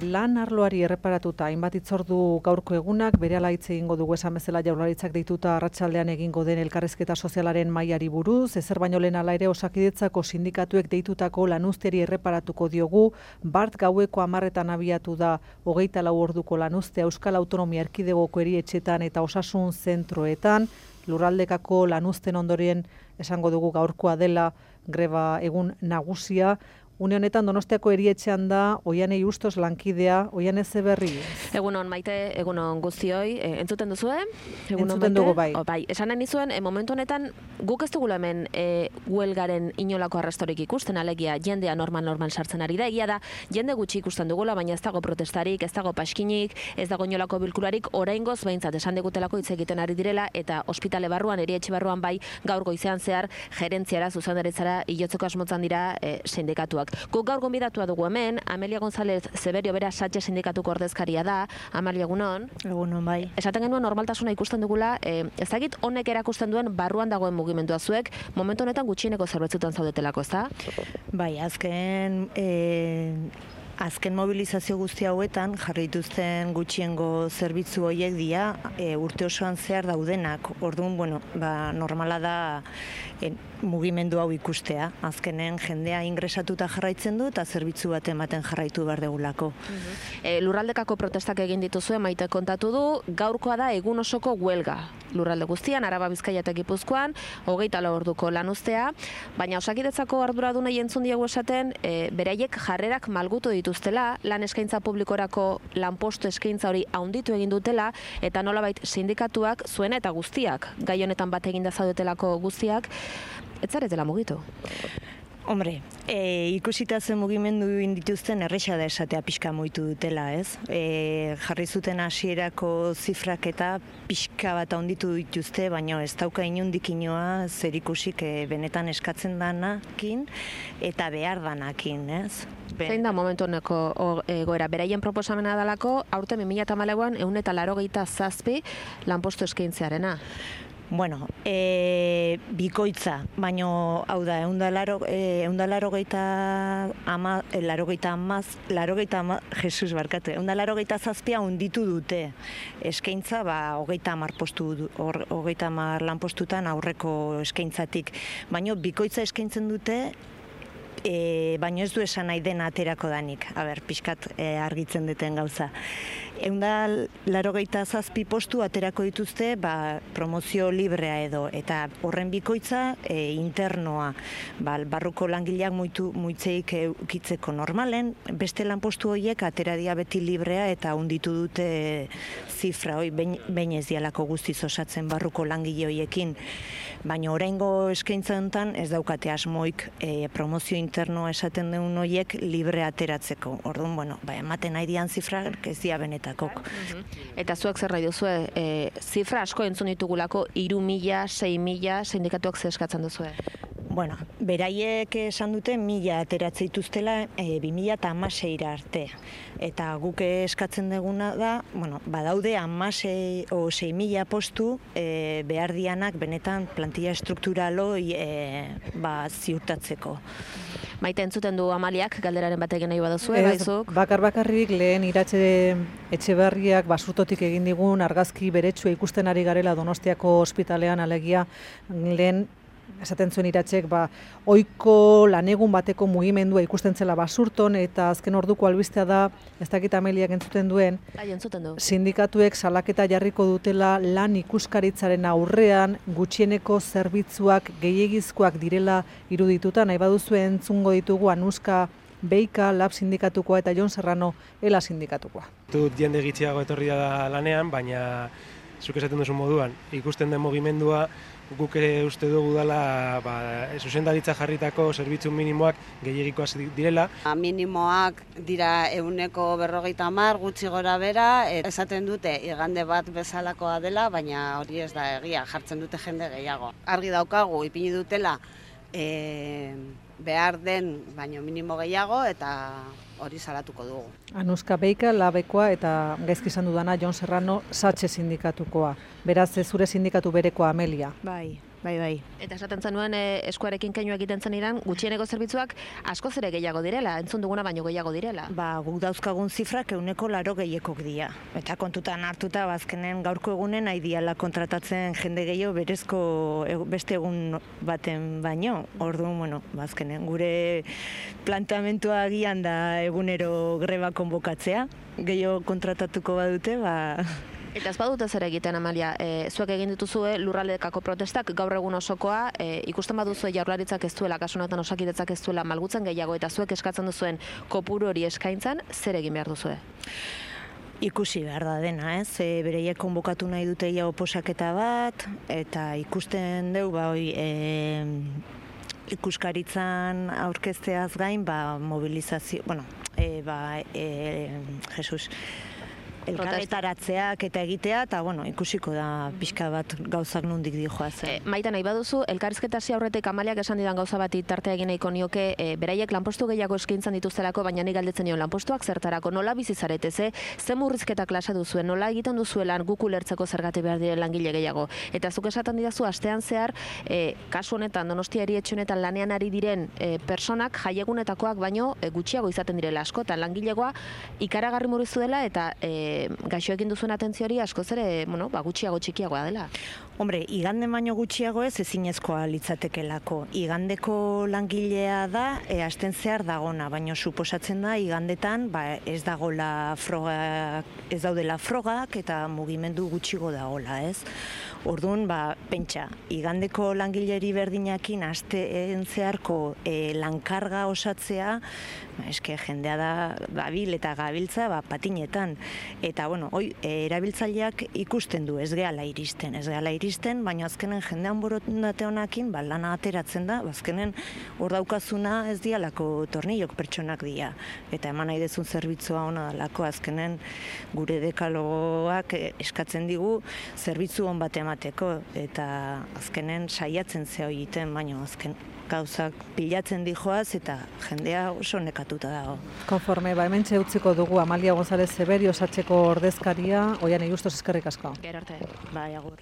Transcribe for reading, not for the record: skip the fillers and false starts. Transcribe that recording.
Lan arloari erreparatuta hainbat hitzordu gaurko egunak, berehala hitz egingo dugu esan bezala Jaurlaritzak deituta arratsaldean egingo den elkarrizketa sozialaren mailari buruz, ezer baino lehen hala ere Osakidetzako sindikatuek deitutako lanuzteari erreparatuko diogu. Bart gaueko 10etan abiatu da 24 orduko lanuztea Euskal Autonomia Erkidegoko erietxetan eta osasun zentroetan. Lurraldekako lanuzten ondoren esango dugu gaurkoa dela greba egun nagusia. Une honetan Donostiako erietxean da Oianei Ustos lankidea. Oiane, ze berri? Egunon Maite, egunon guztioi. Entzuten duzue? Entzuten dugu bai. Bai, esan nahi nizuen, momentu honetan guk ez dugula hemen huelgaren inolako arrastorik ikusten, alegia jendea normal sartzen ari da. Egia da, jende gutxi ikusten dugula, baina ez dago protestarik, ez dago paskinik, ez dago inolako bilkurarik, oraingoz behintzat esan digutelako hitz egiten ari direla, eta ospitale barruan, erietxe barruan bai, gaur goizean zehar, gerentziara, zuzendaritzara, ilotzeko asmotzan dira sindikatuak. Guk gaur gonbidatua dugu hemen, Amelia González Zeberio bera Satxe sindikatuko ordezkaria da. Amelia, egunon. Egunon bai. Esaten genuen normaltasuna ikusten dugula, ezagik honek erakusten duen barruan dagoen mugimendua zuek, momentu honetan gutxieneko zerbitzutan zaudetelako, ezta? Bai, azken mobilizazio guzti hauetan jarri dituzten gutxiengo zerbitzu horiek dira urte osoan zehar daudenak. Orduan, normala da mugimendu hau ikustea. Azkenen jendea ingresatuta jarraitzen du eta zerbitzu bat ematen jarraitu behar degulako. Lurraldekako protestak egin dituzue, Maite kontatu du, gaurkoa da egun osoko huelga. Lurralde guztian, Araba, Bizkaia eta Gipuzkoan, 24 orduko lanuztea, baina Osakidetzako arduradunei entzun diegu esaten, beraiek jarrerak malgutu dituztela, lan eskaintza publikorako lanpostu eskaintza hori handitu egin dutela, eta nolabait sindikatuak zuena eta guztiak, gai honetan bat eginda zaudetelako guztiak, ez zaretela mugitu? Hombre, ikusita zen mugimendu dituzten erresa da esatea pixka mugitu dutela, ez? Jarri zuten hasierako zifrak eta pixka bat handitu dituzte, baina ez dauka inondik inoa zer ikusik benetan eskatzen danakin eta behar danakin, ez? Zein da momentu honeko egoera? Beraien proposamena dalako, aurten 2014an 187 lanpostu eskaintzearena. Bueno, bikoitza, baina hau da, 187 hunditu dute eskaintza, 30 lanpostutan aurreko eskaintzatik. Baina bikoitza eskaintzen dute, baina ez du esan nahi dena aterako danik. Pixkat argitzen duten gauza. 187 postu aterako dituzte promozio librea edo, eta horren bikoitza internoa, barruko langileak muitzeik eukitzeko normalen, beste lanpostu horiek ateradia beti librea eta hunditu dute zifra hori, behin ez dialako guztiz osatzen barruko langile horiekin, baina oraingo eskaintza honetan ez daukate asmoik promozio internoa esaten duen horiek libre ateratzeko. Orduan, ematen nahi dian zifra ez dia benetakok. Eta zuek zer nahi duzue, zifra asko entzun ditugulako 3.000, 6.000 sindikatuak zer eskatzen duzue? Bueno, beraiek esan dute 1.000 ateratzen dituztela 2016 arte. Eta guk eskatzen duguna da, badaude 6.000 postu behar dianak benetan plantilla strukturalo ziurtatzeko. Maite, entzuten du Amaliak, galderaren bat egin nahi baduzue, baizuk? Bakarrik lehen Iratxe Etxeberriak basurtotik egin digun argazki beretsua ikusten ari garela Donostiako ospitalean, alegia lehen esaten zuen Iratxek, ohiko lanegun bateko mugimendua ikusten zela Basurton, eta azken orduko albistea da, ez dakit Ameliak entzuten duen, sindikatuek salaketa jarriko dutela lan ikuskaritzaren aurrean gutxieneko zerbitzuak gehiegizkoak direla irudituta. Nahi baduzue entzungo ditugu Anuska Beika, Lab sindikatukoa, eta Jon Serrano, Ela sindikatukoa. Jende gitxiago etorri da lanean, baina zuk esaten duzu moduan, ikusten den mugimendua, guk ere uste dugu dela zuzendaritza jarritako zerbitzu minimoak gehiegikoak direla. Minimoak dira 150 gutxi gora bera, esaten dute igande bat bezalakoa dela, baina hori ez da egia, jartzen dute jende gehiago. Argi daukagu, ipini dutela behar den baino minimo gehiago, eta hori salatuko dugu. Anuska Beika, Labekoa, eta gaizki izan dudana Jon Serrano, Satxe sindikatukoa. Beraz, zure sindikatu berekoa, Amelia. Bai. bai. Eta esaten zenuen eskuarekin keinu egiten zenidan, gutxieneko zerbitzuak askoz ere gehiago direla, entzun duguna baino gehiago direla. Guk dauzkagun zifrak 180 dira. Eta kontutan hartuta, azkenen gaurko egunen nahi diala kontratatzen jende gehiago berezko beste egun baten baino. Orduan, azkenen gure planteamentua agian da egunero greba konbokatzea. Gehiago kontratatuko badute, Eta ez badute zer egiten, Amalia, zuek egin dituzue lurraldekako protestak gaur egun osokoa, ikusten baduzue Jaurlaritzak ez duela, kasu honetan Osakidetzak ez duela malgutzen gehiago, eta zuek eskatzen duzuen kopuru hori eskaintzan, zer egin behar duzue? Ikusi behar da dena, ez? Bereiek konbokatu nahi dute ja oposaketa bat, eta ikusten deu, ikuskaritzan aurkezteaz gain, mobilizazio, elkarretaratzeak eta egitea, eta ikusiko da pixka bat gauzak nondik dijoazen. Maita, nahi baduzu, elkarrizketa hasi aurretik Amaliak esan didan gauza bati tartea egin nahiko nioke, beraiek lanpostu gehiago eskaintzan dituztelako, baina nik galdetzen nion lanpostuak zertarako, nola bizi zarete, ze murrizketak klasa duzuen, nola egiten duzuelan guk ulertzeko zergatik behar diren langile gehiago. Eta zuk esaten didazu, astean zehar, kasu honetan, Donostia erietxe honetan lanean ari diren personak jaiegunetakoak baino gutxiago izaten direla askotan, langilegoa ikaragarri murriztu dela eta gaixoekin duzuen atentzio hori askoz ere, gutxiago txikiagoa dela. Hombre, igande baino gutxiago ez ezinezkoa litzatekelako. Igandeko langilea da, asten zehar dagona, baina suposatzen da igandetan ez dagoela ez daudela frogak eta mugimendu gutxigo dagoela, ez? Orduan, pentsa, igandeko langileri berdinakin asteen zeharko lankarga osatzea, eske jendea da gabil eta gabiltza patinetan. Eta, erabiltzaileak ikusten du, ez gehala iristen, baina azkenen jendean borondate honakin, lana ateratzen da, azkenen hor daukazuna ez dialako tornillok pertsonak dira. Eta eman nahi dezun zerbitzua ona dalako, azkenen gure dekalogoak eskatzen digu zerbitzu hon bat emateko, eta azkenen saiatzen zeo egiten, baina azken gauzak pilatzen dijoaz eta jendea oso nekatuta dago. Konforme, hementxe utziko dugu Amalia González Zeberio Satzeko ordezkaria, Oian Justos eskerrik asko. Gero arte. Agur.